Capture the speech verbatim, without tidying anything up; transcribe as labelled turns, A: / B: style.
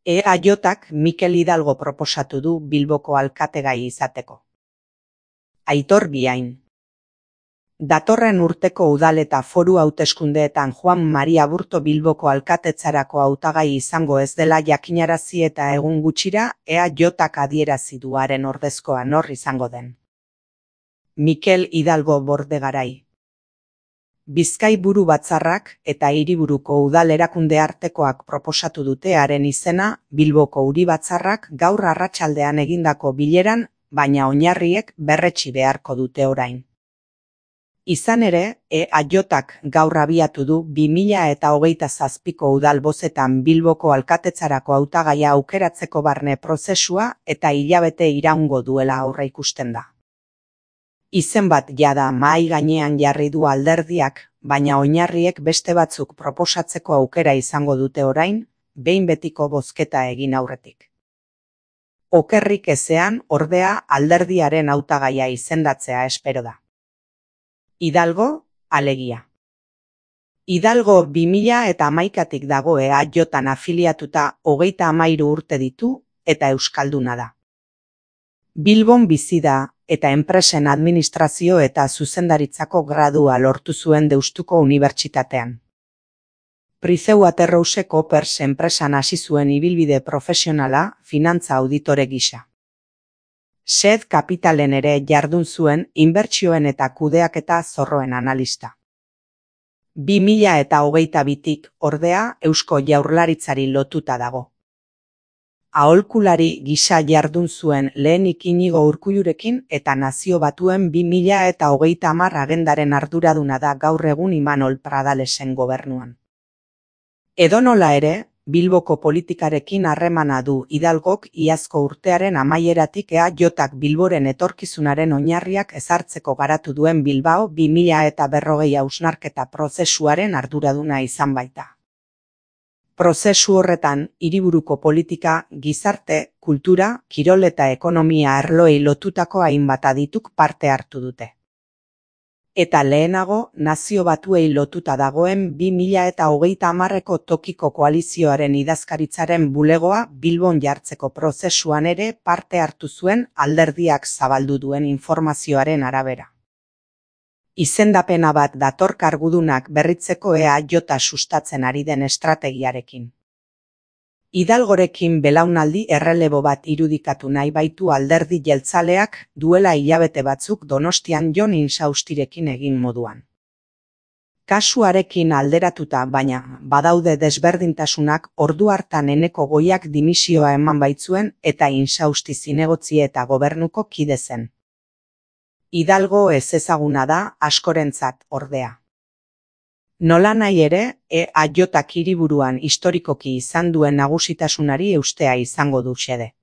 A: E A Jk Mikel Hidalgo proposatu du Bilboko alkategai izateko. Aitor Biain. Datorren urteko udal eta foru hauteskundeetan Juan Maria Aburto Bilboko alkatetzarako hautagai izango ez dela jakinarazi eta egun gutxira E A Jk adierazi du haren ordezkoa nor izango den. Mikel Hidalgo Bordegarai. Bizkai buru batzarrak eta hiriburuko udal erakunde artekoak proposatu dute haren izena Bilboko Uri Batzarrak gaur arratsaldean egindako bileran, baina oinarriek berretsi beharko dute orain. Izan ere, E A Jk gaur abiatu du bi mila eta hogeita zazpiko udal bozetan Bilboko alkatetzarako hautagaia aukeratzeko barne prozesua eta hilabete iraungo duela aurreikusten da. Izen bat jada mahai gainean jarri du alderdiak, baina oinarriek beste batzuk proposatzeko aukera izango dute orain, behin betiko bozketa egin aurretik. Okerrik ezean, ordea, alderdiaren hautagaia izendatzea espero da. Hidalgo, alegia. Hidalgo bi mila eta hamaikatik dago E A Jtan afiliatuta hogeita hamairu urte ditu eta euskalduna da. Bilbon bizi da, eta enpresen administrazio eta zuzendaritzako gradua lortu zuen Deustuko Unibertsitatean. Pricewaterhouse Coopers enpresan hasi zuen ibilbide profesionala finantza auditore gisa. Sed Kapitalen ere jardun zuen inbertsioen eta kudeaketa zorroen analista. bi mila eta hogeita bitik ordea Eusko Jaurlaritzari lotuta dago. Aholkulari gisa jardun zuen lehenik Inigo Urkullurekin eta Nazio Batuen bi mila eta hogeita hamar agendaren arduraduna da gaur egun Imanol Pradalesen gobernuan. Edonola ere, Bilboko politikarekin harremana du Hidalgok iazko urtearen amaieratik E A Jk Bilboren etorkizunaren oinarriak ezartzeko garatu duen Bilbao bi mila eta berrogei hausnarketa prozesuaren arduraduna izan baita. Prozesu horretan, hiriburuko politika, gizarte, kultura, kirol eta ekonomia arloei lotutako hainbat adituk parte hartu dute. Eta lehenago, Nazio Batuei lotuta dagoen bi mila eta hogeita hamarreko tokiko koalizioaren idazkaritzaren bulegoa Bilbon jartzeko prozesuan ere parte hartu zuen alderdiak zabaldu duen informazioaren arabera. Izendapena bat dator kargudunak berritzeko E A Jta sustatzen ari den estrategiarekin. Hidalgorekin belaunaldi errelebo bat irudikatu nahi baitu alderdi jeltzaleak duela hilabete batzuk Donostian Jon Insaustirekin egin moduan. Kasuarekin alderatuta baina badaude desberdintasunak ordu hartan Eneko Goiak dimisioa eman baitzuen eta Insausti zinegotzi eta gobernuko kide zen. Hidalgo ezezaguna da askorentzat ordea. Nolanahi ere, E A Jk hiriburuan historikoki izan duen nagusitasunari eustea izango du xede.